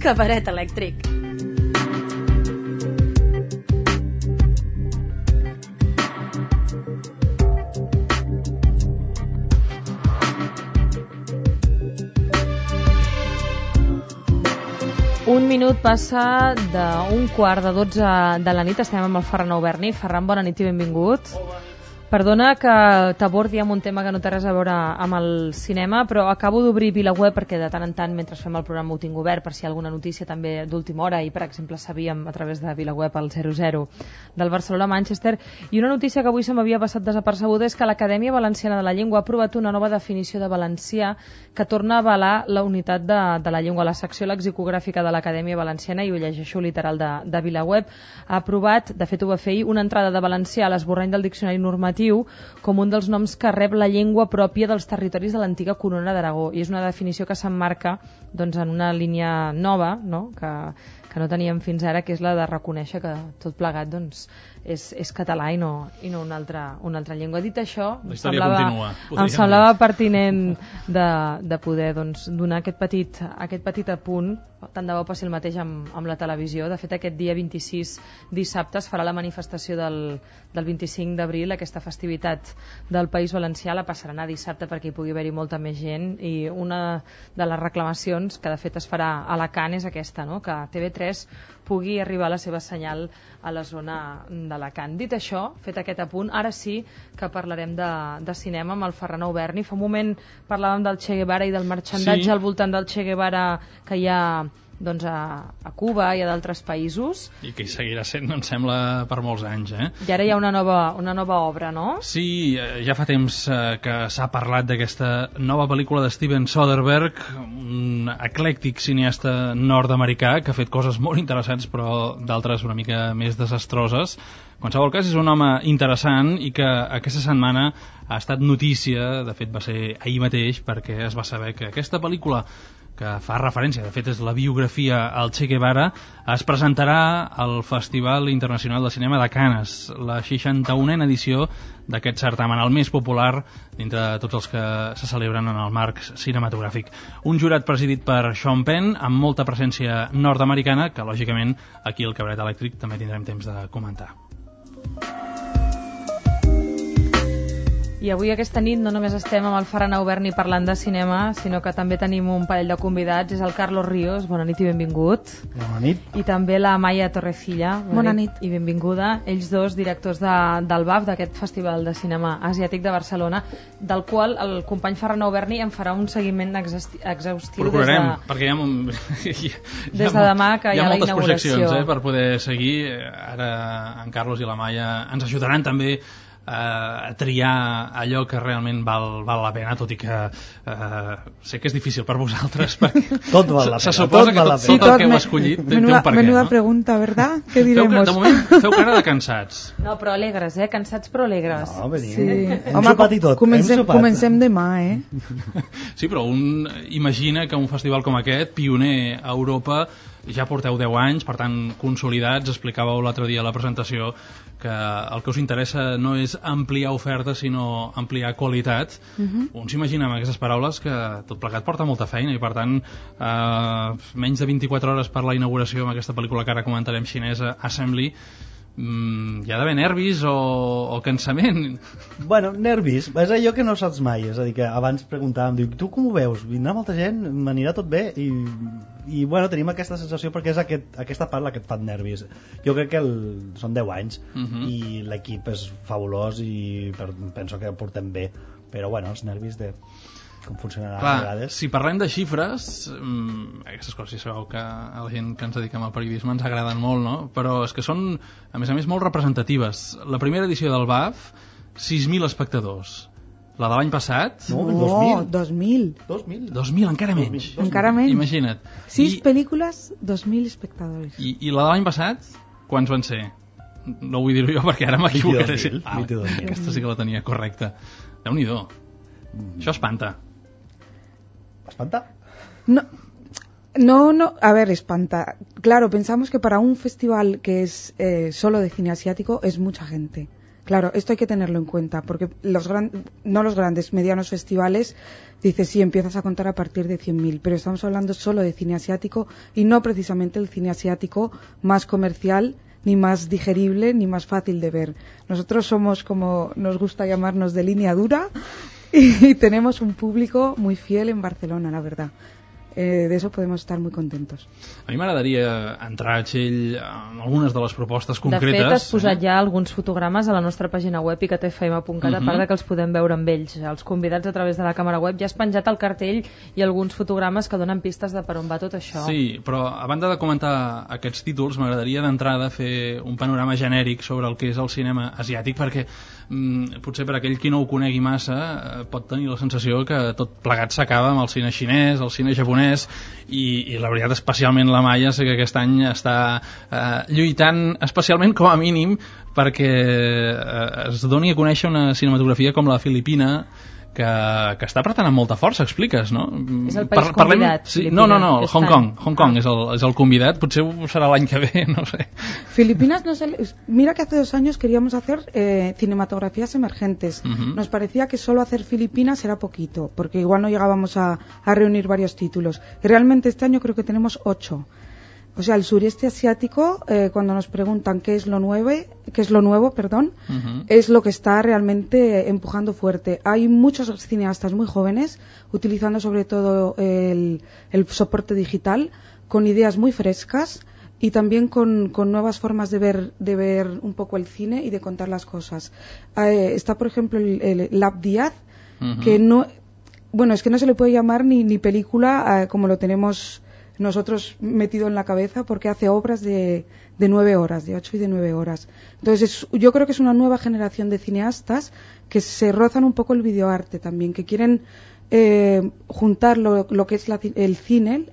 Cabaret elèctric. Un minut passa d'un 11:45 de la nit. Estem amb el Ferran Auberni. Ferran, bona nit i benvingut. Perdona que t'abordi amb un tema que no té res a veure amb el cinema, però acabo d'obrir VilaWeb perquè de tant en tant, mentre fem el programa, ho tinc obert per si hi ha alguna notícia també d'última hora, i per exemple sabíem a través de VilaWeb el 0-0 del Barcelona-Manchester, i una notícia que avui se m'havia passat desapercebuda és que l'Acadèmia Valenciana de la Llengua ha aprovat una nova definició de valencià que torna a avalar la unitat de la llengua. La secció lexicogràfica de l'Acadèmia Valenciana, i ho llegeixo literal de VilaWeb, ha aprovat, de fet ho va fer ahir, una entrada de valencià a l'esborrany del diccionari normatiu com un dels noms que rep la llengua pròpia dels territoris de l'antiga Corona d'Aragó, i és una definició que s'emmarca doncs, en una línia nova, no? que no teníem fins ara, que és la de reconèixer que tot plegat doncs, és català i no una altra llengua. Dit això, em semblava pertinent de poder doncs, donar aquest petit apunt. Tant de bo passi el mateix amb la televisió. De fet, aquest dia 26 dissabte es farà la manifestació del 25 d'abril, aquesta festivitat del País Valencià. La passaran a dissabte perquè hi pugui haver-hi molta més gent, i una de les reclamacions que de fet es farà a Alacant és aquesta, no? Que TV3 pugui arribar la seva senyal a la zona d'Alacant. Dit això, fet aquest apunt, ara sí que parlarem de cinema amb el Ferran Auberni. Fa un moment parlàvem del Che Guevara i del marxandatge al voltant del Che Guevara que hi ha doncs, a Cuba i a d'altres països. I que hi seguirà sent, em sembla, per molts anys. I ara hi ha una nova obra, no? Sí, ja fa temps que s'ha parlat d'aquesta nova pel·lícula de Steven Soderbergh, un eclèctic cineasta nord-americà que ha fet coses molt interessants, però d'altres una mica més desastroses. En qualsevol cas, és un home interessant i que aquesta setmana ha estat notícia, de fet va ser ahir mateix, perquè es va saber que aquesta pel·lícula, que fa referència, de fet és la biografia al Che Guevara, es presentarà al Festival Internacional de Cinema de Canes, la 61a edició d'aquest certamen, el més popular dintre de tots els que se celebren en el marc cinematogràfic. Un jurat presidit per Sean Penn, amb molta presència nord-americana, que lògicament aquí al Cabaret Elèctric també tindrem temps de comentar. I avui aquesta nit no només estem amb el Ferran Auberni parlant de cinema, sinó que també tenim un parell de convidats. És el Carlos Ríos, bona nit i benvingut. Bona nit. I també la Maia Torrecilla, bona nit i benvinguda. Ells dos, directors del BAF, d'aquest Festival de Cinema Asiàtic de Barcelona, del qual el company Ferran Auberni en farà un seguiment exhaustiu. Procurarem, perquè des de demà que hi ha la inauguració. Hi ha moltes projeccions per poder seguir. Ara en Carlos i la Maia ens ajudaran també a triar allò que realment val la pena, tot i que sé que és difícil per vosaltres, perquè tot val la pena, se suposa que tot el que heu escollit té un per què. Menuda pregunta, ¿verdad? ¿Qué diremos? De moment feu cara de cansats. No, però alegres, cansats però alegres. No, venim. Sí. Hem sopat i tot. Comencem demà, Sí, però un imagina que un festival com aquest, pioner a Europa, ja porteu 10 anys, per tant consolidats. Explicàveu l'altre dia a la presentació que el que us interessa no és ampliar oferta sinó ampliar qualitat. Un s'imagina amb aquestes paraules que tot plegat porta molta feina, i per tant menys de 24 hores per la inauguració amb aquesta pel·lícula que ara comentarem, xinesa, Assembly. Hi ha d'haver nervis o cansament? Bueno, nervis, és allò que no saps mai. És a dir, que abans preguntàvem, diu, tu com ho veus? Vindrà molta gent? M'anirà tot bé? I bueno, tenim aquesta sensació perquè és aquesta part la que et fa nervis. Jo crec que són 10 anys i l'equip és fabulós i penso que ho portem bé, però bueno, els nervis de com funcionarà a vegades. Si parlem de xifres, aquestes coses, ja sabeu que a la gent que ens dediquem al periodisme ens agraden molt, no? Però és que són, a més, molt representatives. La primera edició del BAF, 6.000 espectadors. La de l'any passat... No, 2.000. 2.000, encara menys. Encara menys. Imagina't. 6 pel·lícules, 2.000 espectadors. I la de l'any passat, quants van ser? No vull dir-ho jo perquè ara m'equivocaré. Aquesta sí que la tenia correcta. Déu-n'hi-do. Això espanta. ¿Espanta? No, a ver, espanta. Claro, pensamos que para un festival que es solo de cine asiático es mucha gente. Claro, esto hay que tenerlo en cuenta, porque no los grandes, medianos festivales, dices, sí, empiezas a contar a partir de 100.000, pero estamos hablando solo de cine asiático y no precisamente el cine asiático más comercial, ni más digerible, ni más fácil de ver. Nosotros somos, como nos gusta llamarnos, de línea dura y tenemos un público muy fiel en Barcelona, la verdad. De eso podemos estar muy contentos. A mi m'agradaria entrar, Txell, en algunes de les propostes concretes. De fet, has posat ja alguns fotogrames a la nostra pàgina web icatfm.cat, a part de que els podem veure amb ells, els convidats a través de la càmera web. Ja has penjat el cartell i alguns fotogrames que donen pistes de per on va tot això. Sí, però a banda de comentar aquests títols, m'agradaria d'entrada fer un panorama genèric sobre el que és el cinema asiàtic, perquè potser per aquell qui no ho conegui massa pot tenir la sensació que tot plegat s'acaba amb el cine xinès, el cine japonès, i la veritat, especialment la Maia, sé que aquest any està lluitant especialment, com a mínim, perquè es doni a conèixer una cinematografia com la filipina, que està apretant amb molta força, expliques, no? És el país convidat. Sí, no, Hong Kong és el convidat, potser serà l'any que ve, no sé. Filipinas, mira que hace 2 años queríamos hacer cinematografías emergentes. Nos parecía que solo hacer Filipinas era poquito, porque igual no llegábamos a reunir varios títulos. Y realmente este año creo que tenemos 8. O sea, el sureste asiático, cuando nos preguntan qué es lo nuevo, es lo que está realmente empujando fuerte. Hay muchos cineastas muy jóvenes utilizando sobre todo el soporte digital con ideas muy frescas y también con nuevas formas de ver un poco el cine y de contar las cosas. Está, por ejemplo, el Lab Díaz, que no, bueno, es que no se le puede llamar ni película como lo tenemos nosotros metido en la cabeza, porque hace obras de 9 horas, de 8 y de 9 horas. Entonces yo creo que es una nueva generación de cineastas que se rozan un poco el videoarte también, que quieren juntar lo que es el cine,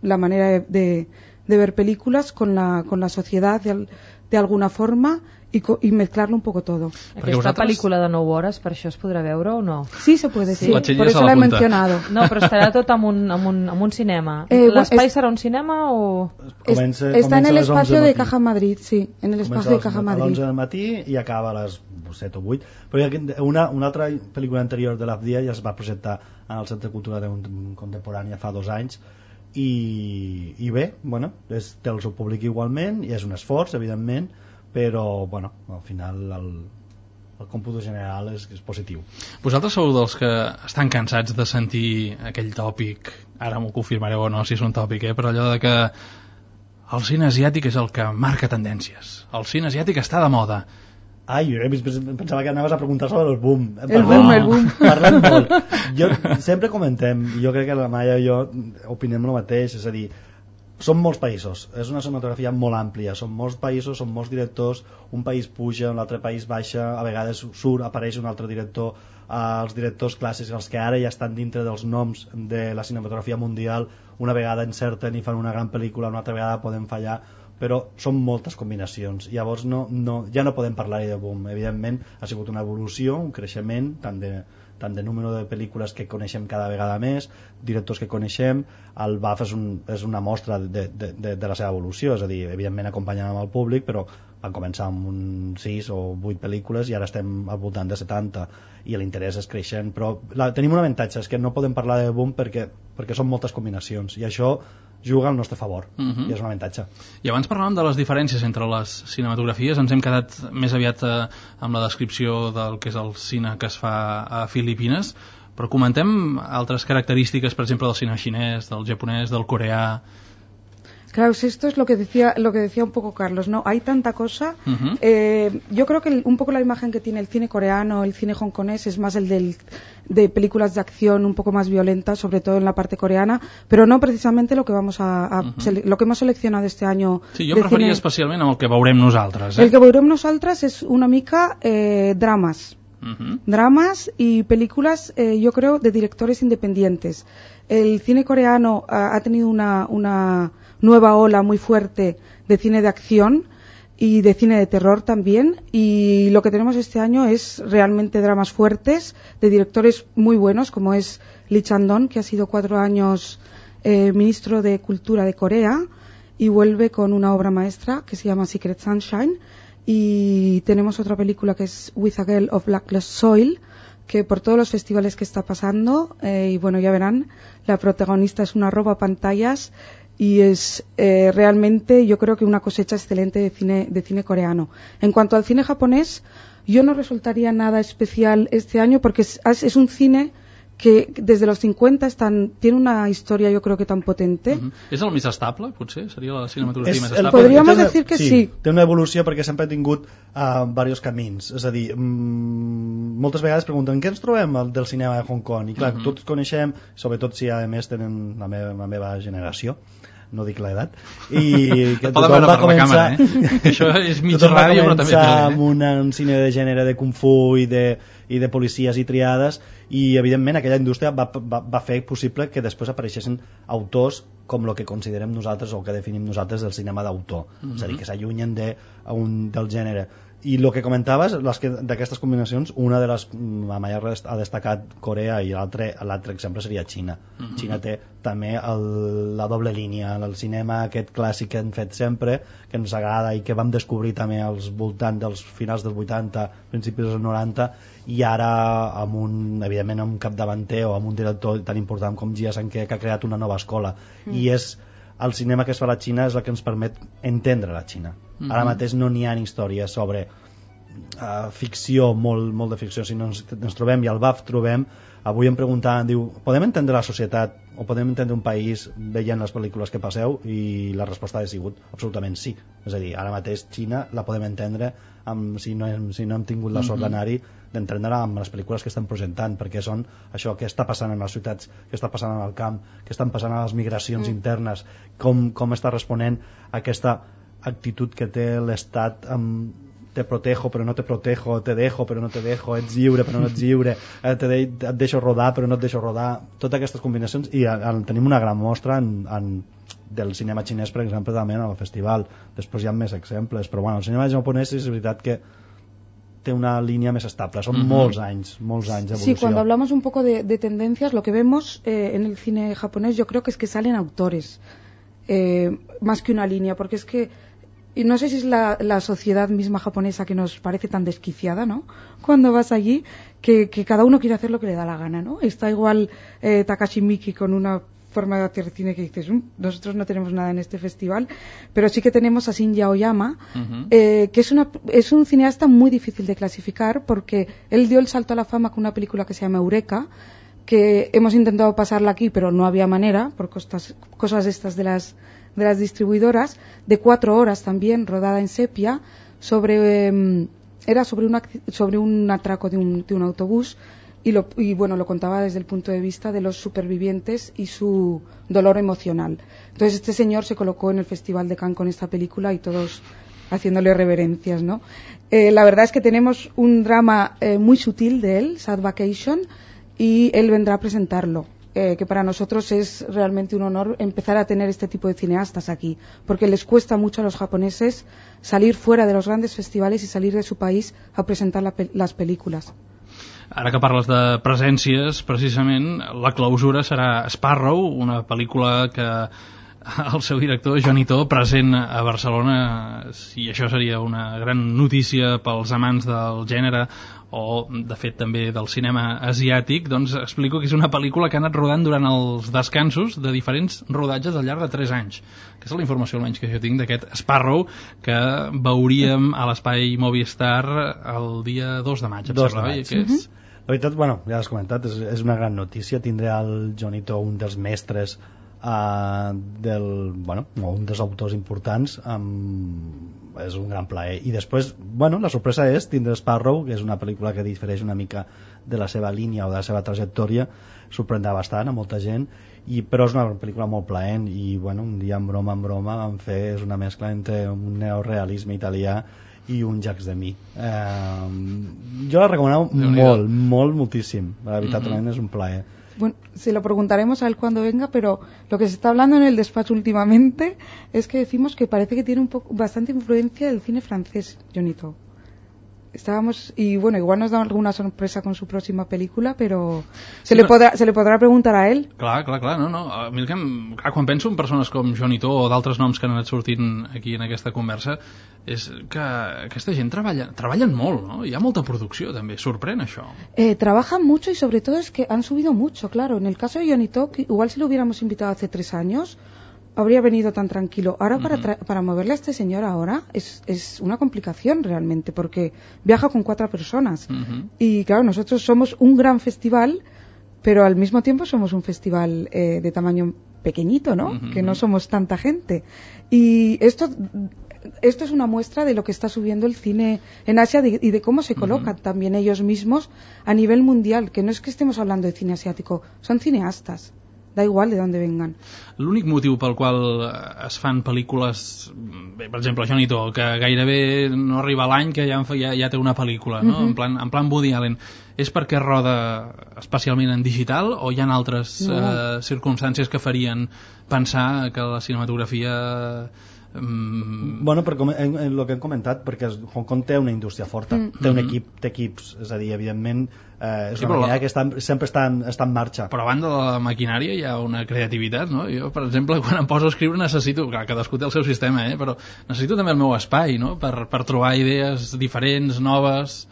la manera de ver películas con la sociedad de alguna forma y mezclarlo un poco todo. Aquesta pel·lícula de 9 hores, per això es podrà veure o no? Sí, se puede, sí. Por eso la he mencionado. No, però estarà tot en un cinema. L'espai serà un cinema o...? Está en el espacio de Caja Madrid, sí, en el espacio de Caja Madrid. Comença a les 11 del matí i acaba a les 7 o 8. Però una altra pel·lícula anterior de l'Afdia ja es va presentar en el Centre Cultural Contemporània fa 2 anys i bé, bueno, té el seu públic igualment i és un esforç, evidentment, però bueno, al final el còmput general és positiu. Vosaltres sou dels que estan cansats de sentir aquell tòpic, ara m'ho confirmareu o no si és un tòpic, però allò de que el cine asiàtic és el que marca tendències, el cine asiàtic està de moda. Ai, pensava que anaves a preguntar sobre el boom. El boom. Parlem molt. Sempre comentem, jo crec que la Maia i jo opinem el mateix, és a dir, són molts països, és una cinematografia molt àmplia, són molts països, són molts directors, un país puja, un altre país baixa, a vegades apareix un altre director, els directors clàssics, els que ara ja estan dintre dels noms de la cinematografia mundial, una vegada encerten i fan una gran pel·lícula, una altra vegada poden fallar, però són moltes combinacions, llavors ja no podem parlar-hi de boom. Evidentment ha sigut una evolució, un creixement tant de número de pel·lícules que coneixem cada vegada més, directors que coneixem. El BAF és una mostra de la seva evolució, és a dir, evidentment acompanyant amb el públic, però van començar amb 6 o 8 pel·lícules i ara estem al voltant de 70 i l'interès és creixent, però tenim un avantatge, és que no podem parlar de boom perquè són moltes combinacions i això juga al nostre favor, i és un avantatge. I abans parlàvem de les diferències entre les cinematografies, ens hem quedat més aviat amb la descripció del que és el cine que es fa a Filipines, però comentem altres característiques, per exemple, del cine xinès, del japonès, del coreà. Claro, esto es lo que decía un poco Carlos, ¿no? Hay tanta cosa. Yo creo que un poco la imagen que tiene el cine coreano, el cine hongkonés, es más el de películas de acción un poco más violentas, sobre todo en la parte coreana, pero no precisamente lo que lo que hemos seleccionado este año. Sí, jo em referia especialment al que veurem nosaltres. El que veurem nosaltres es una mica dramas. Dramas y películas, yo creo, de directores independientes. El cine coreano ha tenido una nueva ola muy fuerte de cine de acción y de cine de terror también, y lo que tenemos este año es realmente dramas fuertes de directores muy buenos, como es Lee Chang-dong, que ha sido 4 años ministro de Cultura de Corea y vuelve con una obra maestra que se llama Secret Sunshine, y tenemos otra película que es With a Girl of Blacklist Soil, que por todos los festivales que está pasando, y bueno, ya verán, la protagonista es una roba pantallas y es realmente, yo creo que una cosecha excelente de cine coreano. En cuanto al cine japonés, yo no resultaría nada especial este año porque es un cine que desde los 50 tiene una historia, jo crec que tan potente. És el més estable, potser? Seria la cinematografia més estable? Podríem dir que sí. Té una evolució perquè sempre ha tingut diversos camins. És a dir, moltes vegades pregunten què ens trobem del cinema de Hong Kong? I clar, tots coneixem, sobretot si a més tenen la meva generació, no dic l'edat, i que tothom va començar... Això és mig ràdio, però també... amb un cine de gènere de Kung Fu i de policies i triades, i evidentment aquella indústria va fer possible que després apareixessin autors com el que considerem nosaltres o que definim nosaltres del cinema d'autor, és a dir, que s'allunyen del gènere. I el que comentaves, d'aquestes combinacions, una de les majors ha destacat Corea i l'altre exemple seria Xina. Xina té també la doble línia, el cinema aquest clàssic que han fet sempre, que ens agrada i que vam descobrir també als voltants dels finals dels 80, principis dels 90, i ara evidentment amb un capdavanter o amb un director tan important com Jia Sankei, que ha creat una nova escola, i és el cinema que es fa a la Xina és el que ens permet entendre la Xina. Ara mateix no n'hi ha històries sobre ficció, molt de ficció, sinó ens trobem, i al BAF trobem, avui em preguntaven, diu, podem entendre la societat o podem entendre un país veient les pel·lícules que passeu? I la resposta ha sigut absolutament sí. És a dir, ara mateix Xina la podem entendre si no hem tingut la sort d'anar-hi, d'entendre-la amb les pel·lícules que estan presentant, perquè són això que està passant en les ciutats, que està passant en el camp, que estan passant a les migracions internes, com està responent a aquesta actitud que té l'Estat amb te protejo però no te protejo, te dejo però no te dejo, ets lliure però no ets lliure, et deixo rodar però no et deixo rodar, totes aquestes combinacions, i tenim una gran mostra del cinema xinès, per exemple, també en el festival. Després hi ha més exemples, però bueno, el cinema japonès és veritat que té una línea más estable, son molts anys de evolución. Sí, cuando hablamos un poco de tendencias, lo que vemos en el cine japonés yo creo que es que salen autores, más que una línea, porque es que y no sé si es la sociedad misma japonesa que nos parece tan desquiciada, ¿no? Cuando vas allí, que cada uno quiere hacer lo que le da la gana, ¿no? Está igual Takashi Miike con una forma de hacer cine que dices, nosotros no tenemos nada en este festival, pero sí que tenemos a Shinya Aoyama, que es un cineasta muy difícil de clasificar, porque él dio el salto a la fama con una película que se llama Eureka, que hemos intentado pasarla aquí, pero no había manera, por cosas estas de las distribuidoras, de 4 horas también, rodada en sepia, era sobre un atraco de un autobús, y bueno, lo contaba desde el punto de vista de los supervivientes y su dolor emocional. Entonces este señor se colocó en el Festival de Cannes con esta película y todos haciéndole reverencias, ¿no? La verdad es que tenemos un drama muy sutil de él, Sad Vacation, y él vendrá a presentarlo. Que para nosotros es realmente un honor empezar a tener este tipo de cineastas aquí, porque les cuesta mucho a los japoneses salir fuera de los grandes festivales y salir de su país a presentar las películas. Ara que parles de presències, precisament, la clausura serà Sparrow, una pel·lícula que el seu director, Johnny To, present a Barcelona, i això seria una gran notícia pels amants del gènere o, de fet, també del cinema asiàtic. Doncs explico que és una pel·lícula que ha anat rodant durant els descansos de diferents rodatges al llarg de 3 anys. Aquesta és la informació almenys que jo tinc d'aquest Sparrow, que veuríem a l'espai Movistar el dia 2 de maig. 2 de maig. La veritat, bueno, ja has comentat, és una gran notícia. Tindré el Johnny To, un dels mestres un dels autors importants, és un gran plaer. I després, bueno, la sorpresa és tindre Sparrow, que és una pel·lícula que difereix una mica de la seva línia o de la seva trajectòria, sorprendrà bastant a molta gent, però és una pel·lícula molt plaent, i bueno, un dia en broma vam fer, és una mescla entre un neorealisme italià y un Jacques Demy. Yo la recomano moltíssim. La veritat, también es un plaer. Bueno, se lo preguntaremos a él cuando venga, pero lo que se está hablando en el despacho últimamente es que decimos que parece que tiene bastante influencia del cine francés, Johnny To. Estábamos, y bueno, igual nos da alguna sorpresa con su próxima película, pero se le podrà preguntar a ell. Clar, no. A mi quan penso en persones com Johnny To o d'altres noms que han anat sortint aquí en aquesta conversa, és que aquesta gent treballen molt, no? Hi ha molta producció també, sorprèn això. Trabajan mucho y sobre todo es que han subido mucho, claro. En el caso de Johnny To, igual si lo hubiéramos invitado hace 3 años, habría venido tan tranquilo. Ahora para moverle a este señor ahora es una complicación realmente, porque viaja con 4 personas. Y claro, nosotros somos un gran festival, pero al mismo tiempo somos un festival de tamaño pequeñito, ¿no? Que no somos tanta gente. Y esto es una muestra de lo que está subiendo el cine en Asia y de cómo se colocan también ellos mismos a nivel mundial, que no es que estemos hablando de cine asiático, son cineastas. Da igual de dónde vengan. L'únic motiu pel qual es fan pel·lícules, bé, per exemple Johnny To, que gairebé no arriba a l'any que ja té una pel·lícula, no? En plan Woody Allen, és perquè roda especialment en digital o hi ha altres circumstàncies que farien pensar que la cinematografia... Bueno, per el que hem comentat, perquè Hong Kong té una indústria forta, té un equip, té equips, és a dir, evidentment és una manera que sempre està en marxa. Però a banda de la maquinària hi ha una creativitat, no? Jo, per exemple, quan em poso a escriure necessito, clar, cadascú té el seu sistema, però necessito també el meu espai, no? Per trobar idees diferents, noves.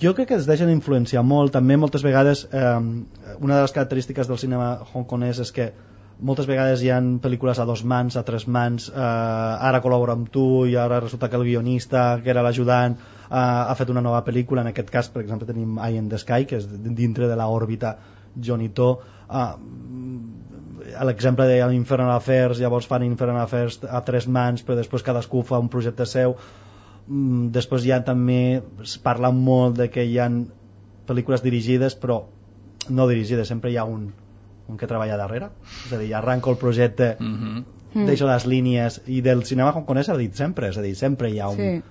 Jo crec que es deixen influenciar molt, també moltes vegades una de les característiques del cinema hongkonès és que moltes vegades hi ha pel·lícules a 2 mans, a 3 mans, ara col·labora amb tu i ara resulta que el guionista, que era l'ajudant, ha fet una nova pel·lícula. En aquest cas, per exemple, tenim Eye in the Sky, que és dintre de l'òrbita Johnny To. L'exemple de Infernal Affairs, llavors fan Infernal Affairs a 3 mans, però després cadascú fa un projecte seu. Després ja també es parla molt de que hi ha pel·lícules dirigides, però no dirigides, sempre hi ha un que treballa darrere, és a dir, arranco el projecte, deixo les línies, i del cinema hongkonès s'ha dit sempre, és a dir, sempre hi ha un...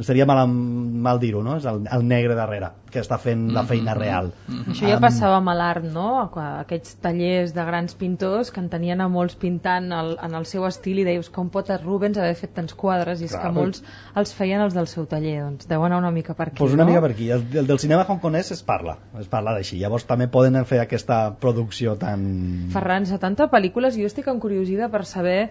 Seria mal dir-ho, no? És el negre darrere, que està fent la feina real. Això ja passava amb l'art, no? Aquests tallers de grans pintors que en tenien a molts pintant en el seu estil i deies, com pot Rubens haver fet tants quadres? I és que molts els feien els del seu taller, doncs deu anar una mica per aquí, una mica per aquí. El del cinema hongkonès es parla d'així, llavors també poden fer aquesta producció tan... Ferran, 70 pel·lícules, i jo estic encuriosida per saber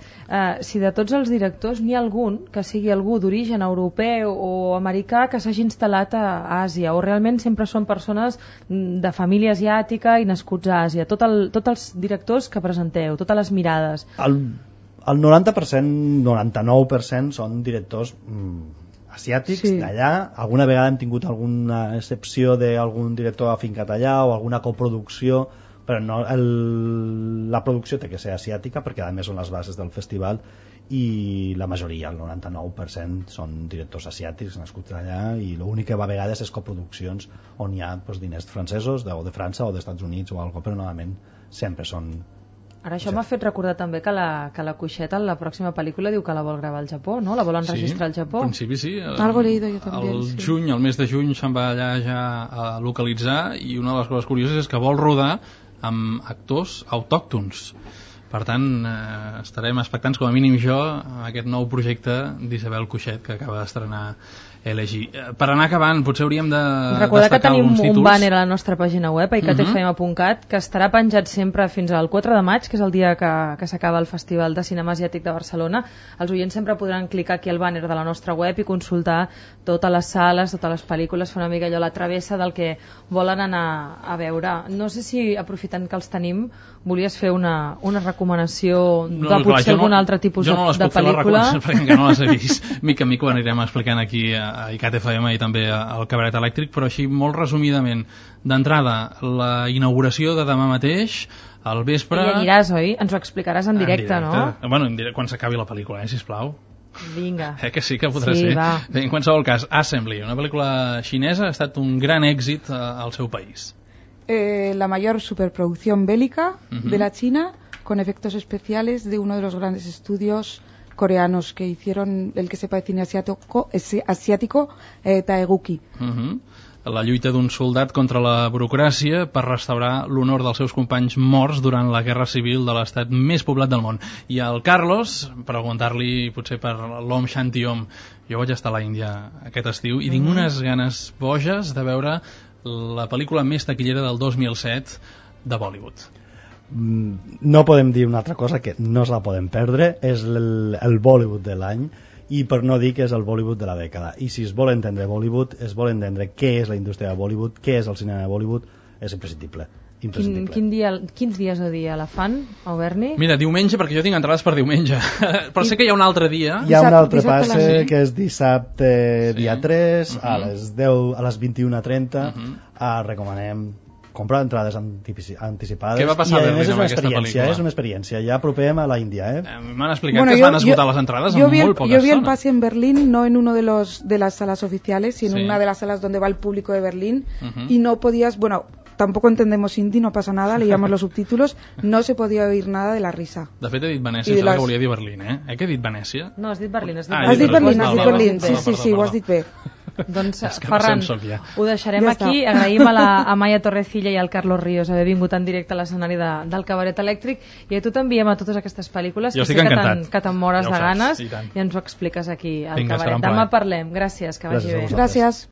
si de tots els directors n'hi ha algun que sigui algú d'origen europeu o americà que s'hagi instal·lat a Àsia, o realment sempre són persones de família asiàtica i nascuts a Àsia. Tots els directors que presenteu, totes les mirades. El 90%, 99% són directors asiàtics d'allà. Alguna vegada hem tingut alguna excepció d'algun director afincat allà o alguna coproducció, però no, la producció té que ser asiàtica perquè a més són les bases del festival, i la majoria, el 99%, són directors asiàtics nascuts allà, i l'únic que va a vegades és coproduccions on hi ha diners francesos o de França o dels Estats Units o alguna cosa, però normalment sempre són... Ara això m'ha fet recordar també que la Cuixeta en la pròxima pel·lícula diu que la vol gravar al Japó, no? La volen registrar al Japó. En principi sí. Algo leído yo también. El mes de juny se'n va allà ja a localitzar, i una de les coses curioses és que vol rodar amb actors autòctons. Per tant, estarem expectants, com a mínim jo, a aquest nou projecte d'Isabel Cuixet que acaba d'estrenar LG. Per anar acabant, potser hauríem de recordar que tenim un banner a la nostra pàgina web, icatfm.cat, que estarà penjat sempre fins al 4 de maig, que és el dia que s'acaba el Festival de Cinema Asiàtic de Barcelona. Els oients sempre podran clicar aquí al banner de la nostra web i consultar totes les sales, totes les pel·lícules, fer una mica allò la travessa del que volen anar a veure. No sé si, aprofitant que els tenim, volies fer una recomanació de potser algun altre tipus de pel·lícula. Jo no les puc fer les recomanacions perquè encara no les he vist. Mica en mica ho anirem explicant aquí a ICAT FM i també al Cabaret Elèctric, però així molt resumidament. D'entrada, la inauguració de demà mateix, al vespre... I aniràs, oi? Ens ho explicaràs en directe, no? Bueno, quan s'acabi la pel·lícula, sisplau. Vinga. Que sí que podrà ser. Bé, en qualsevol cas, Assembly, una pel·lícula xinesa, ha estat un gran èxit al seu país. La mayor superproducción bélica de la China, con efectos especiales de uno de los grandes estudios coreanos que hicieron el que sepa de cine asiático, Taeguki. La lluita d'un soldat contra la burocràcia per restaurar l'honor dels seus companys morts durant la guerra civil de l'estat més poblat del món. I al Carlos, preguntar-li potser per l'Om Shanti Om, Jo vaig estar a l'Índia aquest estiu i tinc unes ganes boges de veure la pel·lícula més taquillera del 2007 de Bollywood. No podem dir una altra cosa que no se la podem perdre, és el Bollywood de l'any, i per no dir que és el Bollywood de la dècada. I si es vol entendre Bollywood, es vol entendre què és la indústria de Bollywood, què és el cinema de Bollywood, és imprescindible. Quins dies o dia la fan, Auberni? Mira, diumenge, perquè jo tinc entrades per diumenge. Però sé que hi ha un altre dia. Hi ha un altre passe, que és dissabte dia 3, a les 21:30. Recomanem comprar entrades anticipades. Què va passar a Berlín amb aquesta pel·lícula? És una experiència, ja apropem a la Índia. M'han explicat que es van esgotar les entrades en muy pocas Yo vi el pase en Berlín, no en uno de las salas oficiales, sino en una de las salas donde va el público de Berlín, y no podías, tampoco entendemos hindi, no pasa nada, leíamos los subtítulos, no se podía oír nada de la risa. De fet he dit Venècia, sembla que volia dir Berlín, Què he dit Venècia? No, has dit Berlín. Has dit Berlín, sí, ho has dit bé. Doncs, Ferran, ho deixarem aquí. Agraïm a Maia Torrecilla i al Carlos Ríos haver vingut en directe a l'escenari del Cabaret Elèctric, i a tu t'enviem a totes aquestes pel·lícules que sé que te'n mores de ganes i ens ho expliques aquí al Cabaret. Demà parlem. Gràcies, que vagi bé. Gràcies.